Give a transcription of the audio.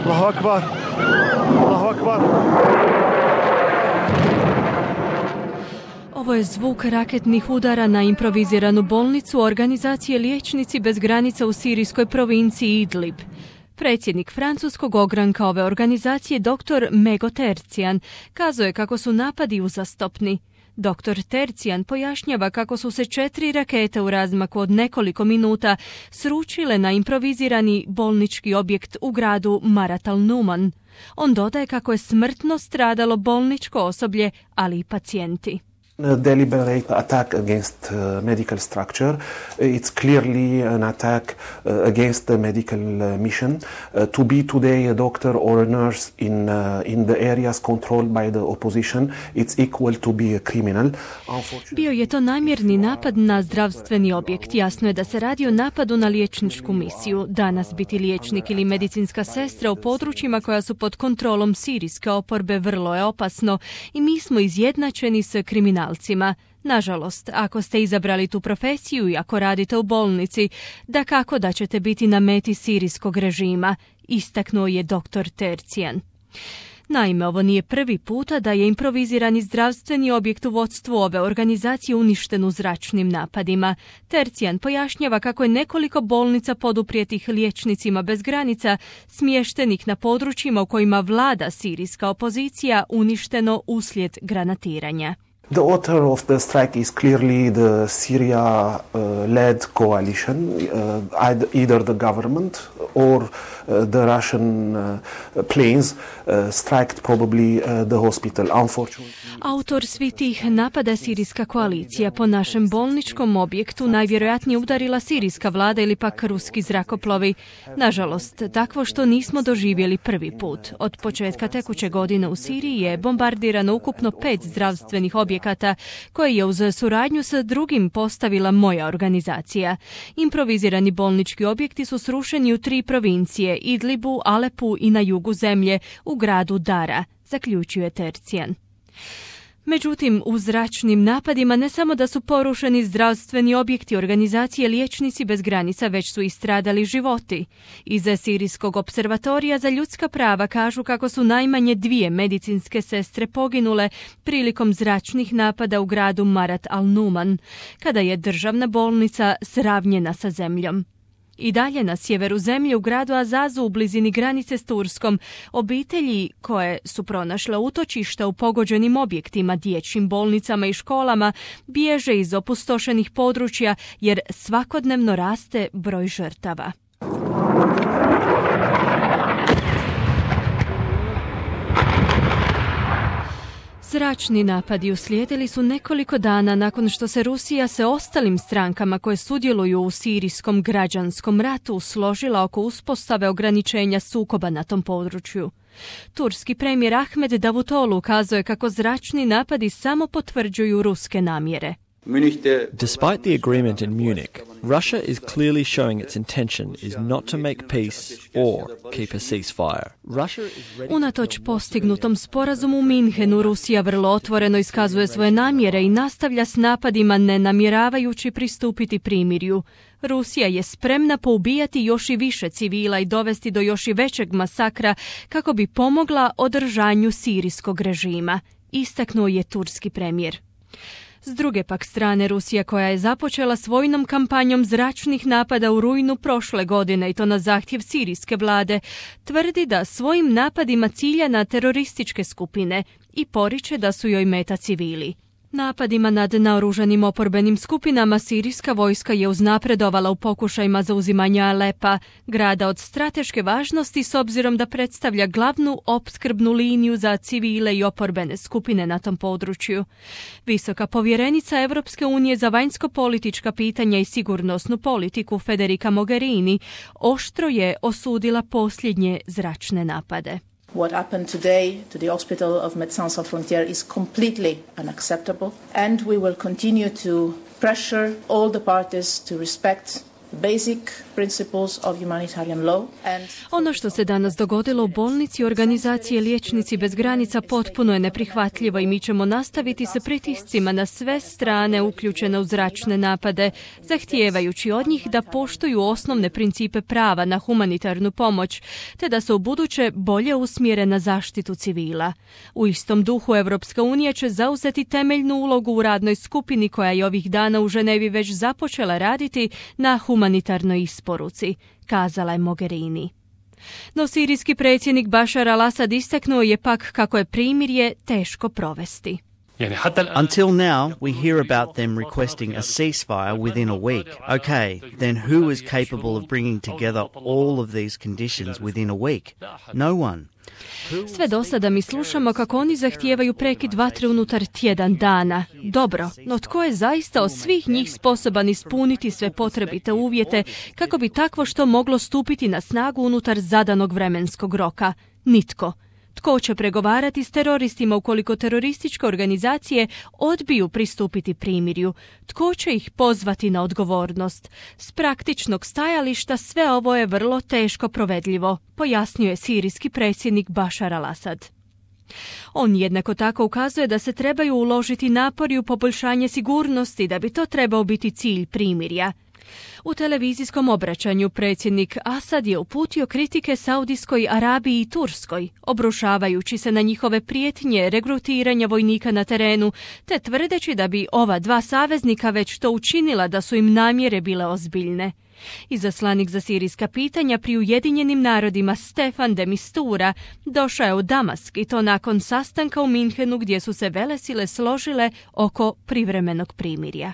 Allahu akbar. Allahu akbar. Ovo je zvuk raketnih udara na improviziranu bolnicu organizacije Liječnici bez granica u sirijskoj provinciji Idlib. Predsjednik francuskog ogranka ove organizacije, dr. Mego Tercijan, kazao je kako su napadi uzastopni. Dr. Tercijan pojašnjava kako su se 4 rakete u razmaku od nekoliko minuta sručile na improvizirani bolnički objekt u gradu Marat al-Numan. On dodaje kako je smrtno stradalo bolničko osoblje, ali i pacijenti. Deliberate attack against medical structure. It's clearly an attack against the medical mission. To be today a doctor or a nurse in the areas controlled by the opposition, it's equal to be a criminal. Bio je to namjerni napad na zdravstveni objekt. Jasno je da se radi o napadu na liječničku misiju. Danas biti liječnik ili medicinska sestra u područjima koja su pod kontrolom sirijske oporbe vrlo je opasno i mi smo izjednačeni s kriminalcima. Nažalost, ako ste izabrali tu profesiju i ako radite u bolnici, dakako da ćete biti na meti sirijskog režima, istaknuo je dr. Tercijan. Naime, ovo nije prvi puta da je improvizirani zdravstveni objekt u vodstvu ove organizacije uništen u zračnim napadima. Tercijan pojašnjava kako je nekoliko bolnica poduprijetih Liječnicima bez granica smještenih na područjima u kojima vlada sirijska opozicija uništeno uslijed granatiranja. The author of the strike is clearly the Syria-led coalition, either the government or the Russian planes striked probably the hospital. Unfortunately, autor svih tih napada sirijska koalicija. Po našem bolničkom objektu najvjerojatnije udarila sirijska vlada ili pak ruski zrakoplovi. Nažalost, takvo što nismo doživjeli prvi put. Od početka tekuće godine u Siriji je bombardirano ukupno 5 zdravstvenih objekata koje je uz suradnju sa drugim postavila moja organizacija. Improvizirani bolnički objekti su srušeni u 3 provincije, Idlibu, Alepu i na jugu zemlje, u gradu Dara, zaključuje Tercijan. Međutim, u zračnim napadima ne samo da su porušeni zdravstveni objekti organizacije Liječnici bez granica, već su i stradali životi. Iz Sirijskog observatorija za ljudska prava kažu kako su najmanje 2 medicinske sestre poginule prilikom zračnih napada u gradu Marat al-Numan, kada je državna bolnica sravnjena sa zemljom. I dalje na sjeveru zemlje u gradu Azazu u blizini granice s Turskom obitelji koje su pronašle utočišta u pogođenim objektima, dječjim bolnicama i školama bježe iz opustošenih područja jer svakodnevno raste broj žrtava. Zračni napadi uslijedili su nekoliko dana nakon što se Rusija se ostalim strankama koje sudjeluju u sirijskom građanskom ratu složila oko uspostave ograničenja sukoba na tom području. Turski premijer Ahmed Davutoglu ukazuje kako zračni napadi samo potvrđuju ruske namjere. Despite the agreement in Munich, Russia is clearly showing its intention is not to make peace or keep a ceasefire. Unatoč postignutom sporazumu u Minhenu, Rusija vrlo otvoreno iskazuje svoje namjere i nastavlja s napadima ne namjeravajući pristupiti primirju. Rusija je spremna poubijati još i više civila i dovesti do još i većeg masakra kako bi pomogla održanju sirijskog režima, istaknuo je turski premijer. S druge pak strane, Rusija koja je započela s vojnom kampanjom zračnih napada u rujnu prošle godine i to na zahtjev sirijske vlade, tvrdi da svojim napadima cilja na terorističke skupine i poriče da su joj meta civili. Napadima nad naoružanim oporbenim skupinama sirijska vojska je uznapredovala u pokušajima zauzimanja Alepa, grada od strateške važnosti s obzirom da predstavlja glavnu opskrbnu liniju za civile i oporbene skupine na tom području. Visoka povjerenica Europske unije za vanjsko-politička pitanja i sigurnosnu politiku Federica Mogherini oštro je osudila posljednje zračne napade. What happened today to the hospital of Médecins Sans Frontières is completely unacceptable, and we will continue to pressure all the parties to respect basic principles of humanitarian law and Ono što se danas dogodilo u bolnici organizacije Liječnici bez granica potpuno je neprihvatljivo i mi ćemo nastaviti sa pritiscima na sve strane uključene u zračne napade, zahtijevajući od njih da poštuju osnovne principe prava na humanitarnu pomoć, te da se ubuduće bolje usmjere na zaštitu civila. U istom duhu Europska unija će zauzeti temeljnu ulogu u radnoj skupini koja je ovih dana u Ženevi već započela raditi na humanitarnoj isporuci, kazala je Mogherini. No sirijski predsjednik Bashar al-Assad istaknuo je pak kako je primirje teško provesti. Until now, we hear about them requesting a ceasefire within a week. Okay, then who is capable of bringing together all of these conditions within a week? No one. Sve do sada mi slušamo kako oni zahtijevaju prekid vatre unutar tjedan dana. Dobro, no tko je zaista od svih njih sposoban ispuniti sve potrebite uvjete kako bi takvo što moglo stupiti na snagu unutar zadanog vremenskog roka? Nitko. Tko će pregovarati s teroristima ukoliko terorističke organizacije odbiju pristupiti primirju? Tko će ih pozvati na odgovornost? S praktičnog stajališta sve ovo je vrlo teško provedljivo, pojasnio je sirijski predsjednik Bashar al-Assad. On jednako tako ukazuje da se trebaju uložiti napori u poboljšanje sigurnosti, da bi to trebao biti cilj primirja. U televizijskom obraćanju predsjednik Asad je uputio kritike Saudijskoj Arabiji i Turskoj, obrušavajući se na njihove prijetnje regrutiranja vojnika na terenu, te tvrdeći da bi ova dva saveznika već to učinila da su im namjere bile ozbiljne. Izaslanik za sirijska pitanja pri Ujedinjenim narodima Stefan de Mistura došao je u Damask i to nakon sastanka u Minhenu gdje su se velesile složile oko privremenog primirja.